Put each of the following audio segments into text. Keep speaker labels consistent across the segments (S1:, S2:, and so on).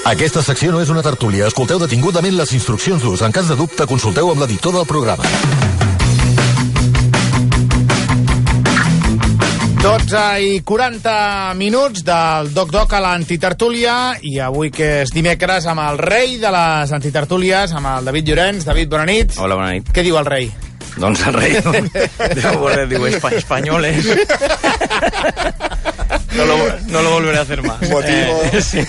S1: Aquesta secció no és una tertúlia. Escolteu detingudament les instruccions d'ús. En cas de dubte, consulteu amb l'editor del programa.
S2: 12:40 del Doc a l'antitertúlia, i avui que és dimecres amb el rei de les antitertúlies, amb el David Llorenç. David, bona nit.
S3: Hola, bona nit.
S2: Què diu el rei?
S3: Doncs el rei diu españoles. No lo volveré a hacer más.
S2: Motivo.
S3: Sí.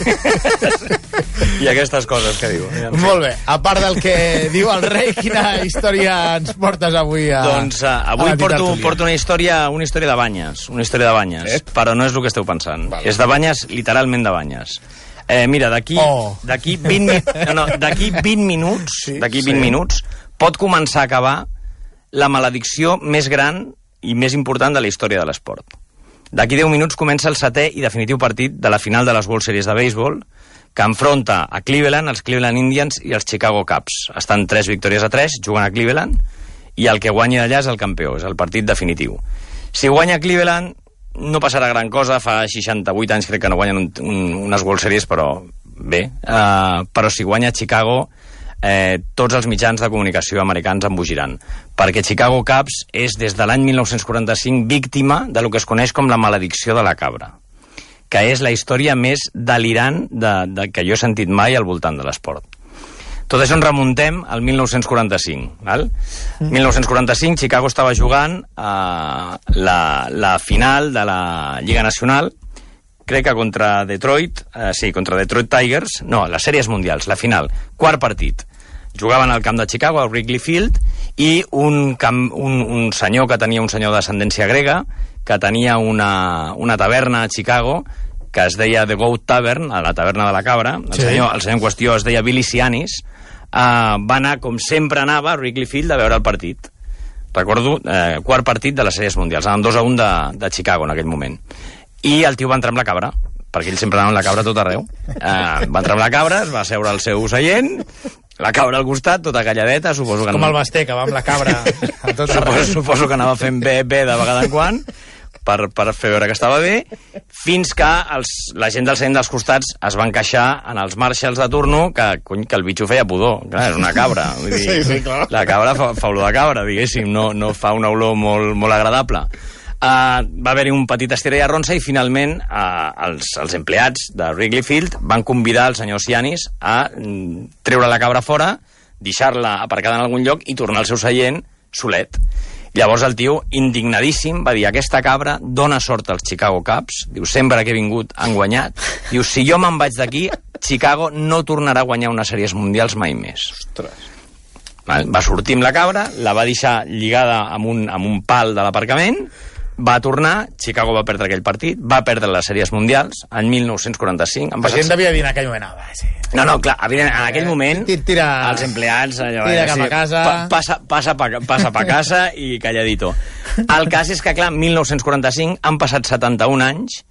S3: I aquestes coses que diu.
S2: Molt bé. A part del que diu el rei, quina història ens portes avui a...
S3: Doncs avui porto una història de banyes. Una història de banyes. Però no és el que esteu pensant. Vale. És de banyes, literalment de banyes. Mira, d'aquí 20 minuts pot començar a acabar la maledicció més gran i més important de la història de l'esport. D'aquí 10 minuts comença el 7è i definitiu partit de la final de les World Series de béisbol, que enfronta a Cleveland, els Cleveland Indians i els Chicago Cubs. Estan 3 victòries a 3, juguen a Cleveland, i el que guanyi d'allà és el campió, és el partit definitiu. Si guanya Cleveland, no passarà gran cosa, fa 68 anys crec que no guanyen unes World Series, però bé. Però si guanya Chicago, tots els mitjans de comunicació americans embogiran, perquè Chicago Cubs és des de l'any 1945 víctima de lo que es coneix com la maledicció de la cabra, que és la història més delirant que jo he sentit mai al voltant de l'esport. Tot això ens remuntem al 1945. Val? 1945, Chicago estava jugant la final de la Lliga Nacional, crec que contra Detroit, contra Detroit Tigers, no, les sèries mundials, la final, quart partit. Jugaven al camp de Chicago, al Wrigley Field, i un senyor que tenia un senyor d'ascendència grega, que tenia una taverna a Chicago, que es deia The Goat Tavern, a la taverna de la cabra. El senyor en qüestió es deia Billy Sianis. Va anar, com sempre anava, a Wrigley Field a veure el partit. Recordo, quart partit de les sèries mundials. Anaven 2-1 de Chicago en aquell moment. I el tio va entrar amb la cabra, perquè ell sempre anava amb la cabra tot arreu. Va entrar amb la cabra, es va seure al seu seient, la cabra al costat, tota calladeta, suposo que...
S2: Com el Basté, que va amb la cabra a tot arreu.
S3: Suposo que anava fent bé de vegada en quan, per fer veure que estava bé, fins que la gent del seient dels costats es van queixar en els marshals de turno que el bitxo feia pudor. Clar, és una cabra. Vull dir, sí, clar. La cabra fa olor de cabra, diguéssim, no fa una olor molt agradable. Va haver-hi un petit estira i arronsa i finalment els empleats de Wrigley Field van convidar el senyor Sianis a treure la cabra fora, deixar-la aparcada en algun lloc i tornar al seu seient solet. Llavors el tio, indignadíssim, va dir: aquesta cabra dona sort als Chicago Cubs, diu, sempre que he vingut han guanyat, diu, si jo me'n vaig d'aquí, Chicago no tornarà a guanyar unes sèries mundials mai més.
S2: Ostres.
S3: Va sortir amb la cabra, la va deixar lligada amb un pal de l'aparcament, va tornar, Chicago va perdre aquell partit, va perdre les sèries mundials en 1945.
S2: La gent devia dir en aquell moment, sí.
S3: No, clar, en aquell moment els empleats
S2: tira cap a casa,
S3: passa pa casa i calladito. El cas és que, clar, en 1945 han passat 71 anys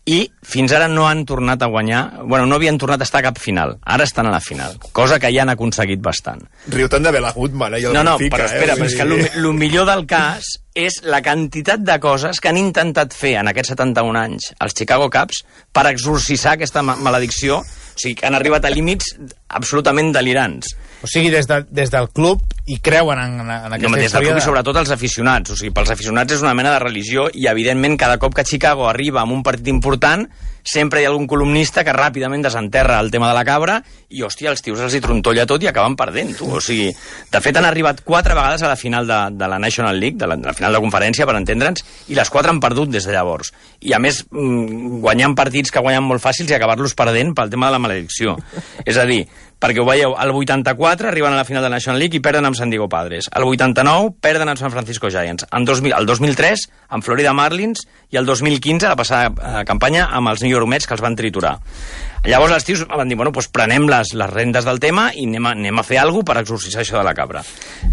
S3: i fins ara no han tornat a guanyar, no havien tornat a estar a cap final. Ara estan a la final, cosa que ja han aconseguit bastant.
S4: Riu-te'n de Bela Goodman, i el
S3: Benfica. Però espera, però és que el millor del cas és la quantitat de coses que han intentat fer en aquests 71 anys els Chicago Cubs per exorcitzar aquesta maledicció. O sigui, que han arribat a límits absolutament delirants.
S2: O sigui, des del club hi creuen en aquesta història?
S3: Des del club i sobretot els aficionats. O sigui, pels aficionats és una mena de religió i, evidentment, cada cop que Chicago arriba amb un partit important, sempre hi ha algun columnista que ràpidament desenterra el tema de la cabra i, hòstia, els tios els hi trontolla tot i acaben perdent, tu. O sigui, de fet, han arribat 4 vegades a la final de la National League, de la final de conferència, per entendre'ns, i les 4 han perdut des de llavors. I, a més, guanyant partits que guanyen molt fàcils i acabar-los perdent pel tema de la maledicció. És a dir, perquè ho veieu, el 84 arriben a la final de la National League i perden amb San Diego Padres. El 89 perden amb San Francisco Giants. El 2003 amb Florida Marlins i el 2015, la passada campanya, amb els New York Mets, que els van triturar. Llavors els tios van dir, doncs prenem les rendes del tema i anem a fer alguna cosa per exorcitzar això de la cabra.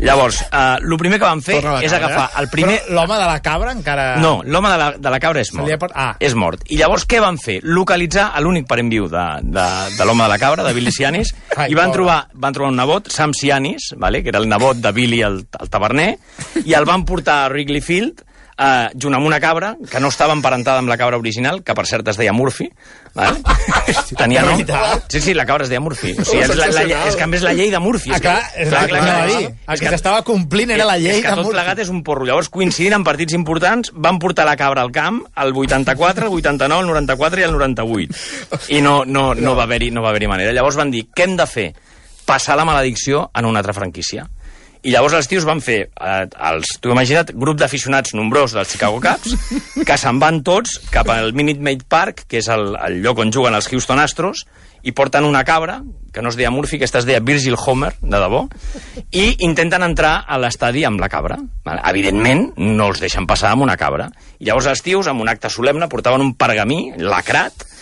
S3: Llavors, el primer que van fer és agafar el primer...
S2: Però l'home de la cabra encara...
S3: No, l'home de la cabra és mort. És mort. I llavors què van fer? Localitzar l'únic parent viu de l'home de la cabra, de Billy Sianis, i van trobar un nebot, Sam Sianis, que era el nebot de Billy el taverner, i el van portar a Wrigley Field junt amb una cabra, que no estava emparentada amb la cabra original, que per cert es deia Murphy, vale? Tenia nom. Sí, la cabra es deia Murphy. O sigui, és que a més la llei de Murphy.
S2: Clar. El que s'estava complint era la llei de Murphy.
S3: És que tot plegat és un porro. Llavors, coincidint en partits importants, van portar la cabra al camp el 84, el 89, el 94 i el 98. I no va haver-hi manera. Llavors van dir, què hem de fer? Passar la maledicció en una altra franquícia. I llavors els tios van fer, tu imagina't, grup d'aficionats nombrós dels Chicago Cubs, que se'n van tots cap al Minute Maid Park, que és el lloc on juguen els Houston Astros, i porten una cabra, que no es deia Murphy, que es deia Virgil Homer, de debò, i intenten entrar a l'estadi amb la cabra. Evidentment, no els deixen passar amb una cabra. I llavors els tios, amb un acte solemne, portaven un pergamí lacrat,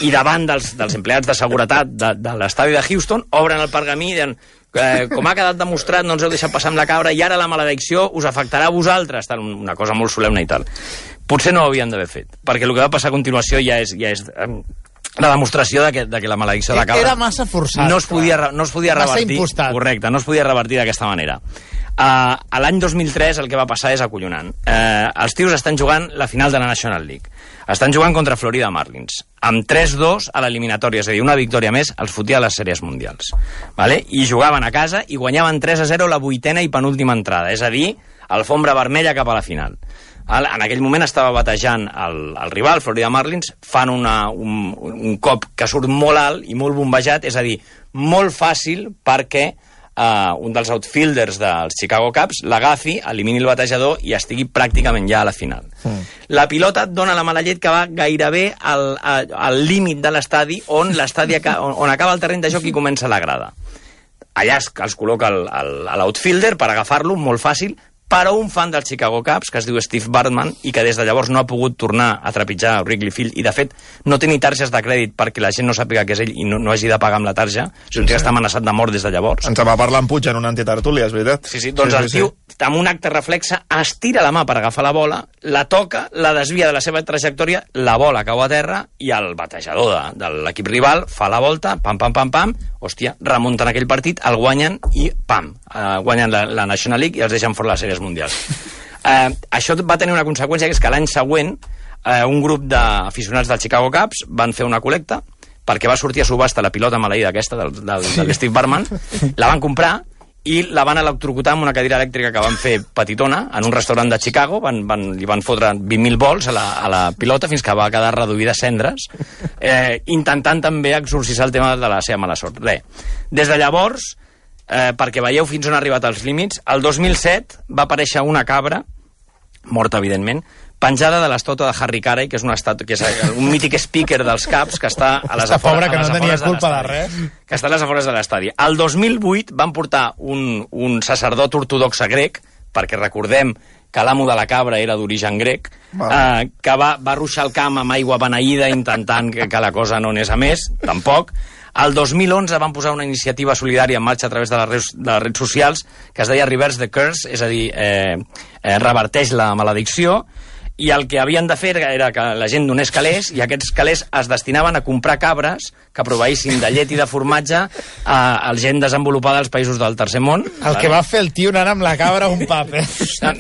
S3: i davant dels empleats de seguretat de l'estadi de Houston, obren el pergamí i diuen, com ha quedat demostrat, no ens heu deixat passar amb la cabra i ara la maledicció us afectarà a vosaltres, tal, una cosa molt solemne i tal. Potser no ho havien d'haver fet, perquè el que va passar a continuació ja és la demostració de que la maledicció de la cabra
S2: era massa forçat.
S3: No es podia revertir.
S2: Massa impostat.
S3: Correcte, no es podia revertir d'aquesta manera. A l'any 2003 el que va passar és acollonant. Els tios estan jugant la final de la National League. Estan jugant contra Florida Marlins, amb 3-2 a l'eliminatòria, és a dir, una victòria més els fotia a les sèries mundials. Vale? I jugaven a casa i guanyaven 3-0 la 8ª i penúltima entrada, és a dir, alfombra vermella cap a la final. En aquell moment estava batejant el rival, Florida Marlins, fan un cop que surt molt alt i molt bombejat, és a dir, molt fàcil perquè un dels outfielders dels Chicago Cubs l'agafi, elimini el batejador i estigui pràcticament ja a la final. La pilota et dona la mala llet que va gairebé al límit de l'estadi on acaba el terreny de joc i comença la grada. Allà els col·loca l'outfielder per agafar-lo, molt fàcil, però un fan dels Chicago Cubs, que es diu Steve Bartman, i que des de llavors no ha pogut tornar a trepitjar Wrigley Field, i de fet no té ni targes de crèdit perquè la gent no sàpiga que és ell i no hagi de pagar amb la tarja, o sigui, està amenaçat de mort des de llavors.
S4: Ens va parlar en Puig en una antitertúlia, és veritat?
S3: Sí, doncs el tio, amb un acte reflexe, estira la mà per agafar la bola, la toca, la desvia de la seva trajectòria, la bola cau a terra i el batejador de l'equip rival fa la volta, pam, hòstia, remunten aquell partit, el guanyen i pam, guanyen la National League i els deixen fora les sèries mundials. Això va tenir una conseqüència, que és que l'any següent un grup d'aficionats dels Chicago Cubs van fer una col·lecta perquè va sortir a subhasta la pilota maleïda aquesta del Steve Bartman, la van comprar i la van electrocutar amb una cadira elèctrica que van fer petitona en un restaurant de Chicago, li van fotre 20.000 volts a la pilota fins que va quedar reduïda a cendres, intentant també exorcitzar el tema de la seva mala sort. Des de llavors, perquè veieu fins on ha arribat els límits, el 2007 va aparèixer una cabra, morta evidentment, penjada de l'estàtua de Harry Carey, que és un mític speaker dels Cubs que està a les afores
S2: que no tenia culpa de res.
S3: Que està a les afores de l'estadi. El 2008 van portar un sacerdot ortodoxe grec, perquè recordem que l'amo de la cabra era d'origen grec, que va ruixar el camp amb aigua beneïda intentant que la cosa no anés a més, tampoc. El 2011 van posar una iniciativa solidària en marxa a través de les redes socials que es deia Reverse the Curse, és a dir, reverteix la maledicció, i el que havien de fer era que la gent donés calés, i aquests calés es destinaven a comprar cabres que proveïssin de llet i de formatge a gent desenvolupada als països del tercer món.
S2: El que va fer el tio anant amb la cabra a un pub,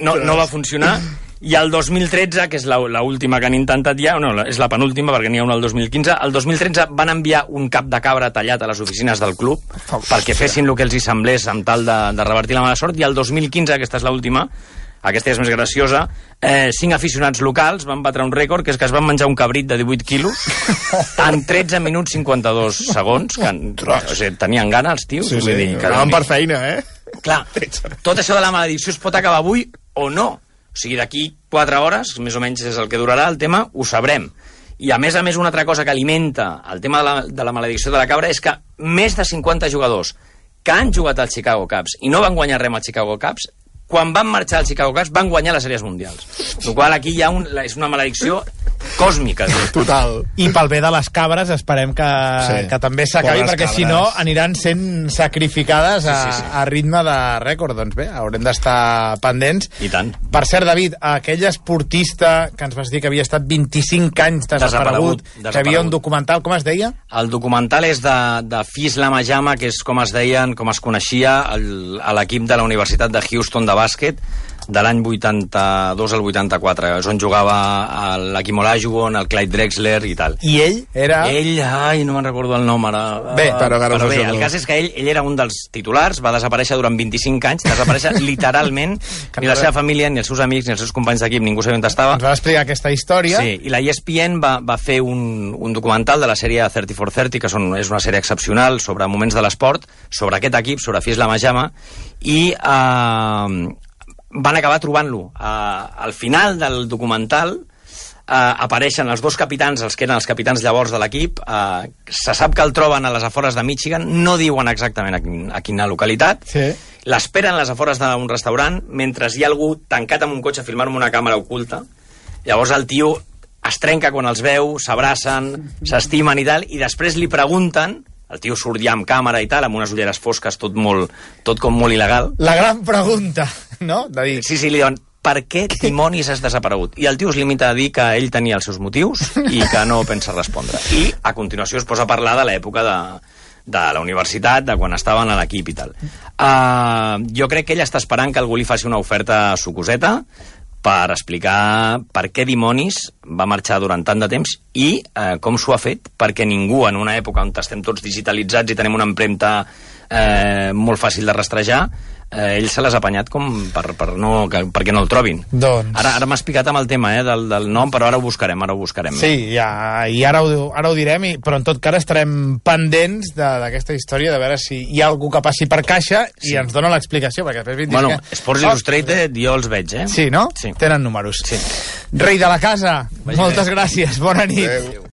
S3: No va funcionar. I el 2013, que és l'última que han intentat ja, no, és la penúltima perquè n'hi ha una el 2015, el 2013 van enviar un cap de cabra tallat a les oficines del club perquè fessin el que els hi semblés amb tal de revertir la mala sort, i el 2015, aquesta és l'última, aquesta és més graciosa, 5 aficionats locals van batre un rècord, que és que es van menjar un cabrit de 18 quilos en 13 minuts 52 segons, que tenien gana els tios.
S4: Sí, anaven per feina,
S3: Clar, tot això de la maledicció es pot acabar avui o no. O sigui, d'aquí 4 hores, més o menys és el que durarà el tema, ho sabrem. I a més, una altra cosa que alimenta el tema de la maledicció de la cabra és que més de 50 jugadors que han jugat als Chicago Cubs i no van guanyar res als Chicago Cubs, quan van marxar als Chicago Cubs van guanyar les sèries mundials. El qual aquí hi ha és una maledicció còsmica.
S4: Total.
S2: I pel bé de les cabres esperem que també s'acabi, perquè si no aniran sent sacrificades a ritme de rècord. Doncs bé, haurem d'estar pendents.
S3: I tant.
S2: Per cert, David, aquell esportista que ens vas dir que havia estat 25 anys desaparegut, que havia un documental, com es deia?
S3: El documental és de Fisla Majama, que és com es coneixia a l'equip de la Universitat de Houston de bàsquet, de l'any 82 al 84, és on jugava l'Hakeem Olajuwon, el Clyde Drexler i tal.
S2: I ell era...
S3: Ell, no me'n recordo el nom ara.
S2: Bé,
S4: però
S3: bé, el cas és que ell era un dels titulars, va desaparèixer durant 25 anys, desaparèixer literalment, ni la seva família, ni els seus amics, ni els seus companys d'equip, ningú sabia on estava.
S2: Ens va explicar aquesta història.
S3: Sí, i la ESPN va fer un documental de la sèrie 30 for 30, que és una sèrie excepcional sobre moments de l'esport, sobre aquest equip, sobre Fisla Majama, i van acabar trobant-lo. Al final del documental apareixen els dos capitans, els que eren els capitans llavors de l'equip, se sap que el troben a les afores de Michigan, no diuen exactament a quina localitat, l'esperen a les afores d'un restaurant, mentre hi ha algú tancat amb un cotxe filmant amb una càmera oculta. Llavors el tio es trenca quan els veu, s'abracen, s'estimen i tal, i després li pregunten, el tio surt ja amb càmera i tal, amb unes ulleres fosques, tot com molt il·legal.
S2: La gran pregunta, no? De dir...
S3: Sí, li diuen, per què dimonis has desaparegut? I el tio es limita a dir que ell tenia els seus motius i que no pensa respondre. I a continuació es posa a parlar de l'època de la universitat, de quan estaven a l'equip i tal. Jo crec que ell està esperant que algú li faci una oferta sucoseta per explicar per què dimonis va marxar durant tant de temps i com s'ho ha fet, perquè ningú en una època on estem tots digitalitzats i tenim una empremta molt fàcil de rastrejar, ell se l'ha apanyat com perquè no el trobin.
S2: Doncs...
S3: Ara m'has picat amb el tema del nom, però ara ho buscarem.
S2: Sí, ja, i ara ho direm, però en tot cas estarem pendents d'aquesta història, de veure si hi ha algú que passi per caixa i ens dona l'explicació, perquè després...
S3: Bueno, Sports Illustrated jo els veig,
S2: Sí, no?
S3: Sí.
S2: Tenen números.
S3: Sí.
S2: Rei de la casa, moltes gràcies, bona nit.
S4: Adéu.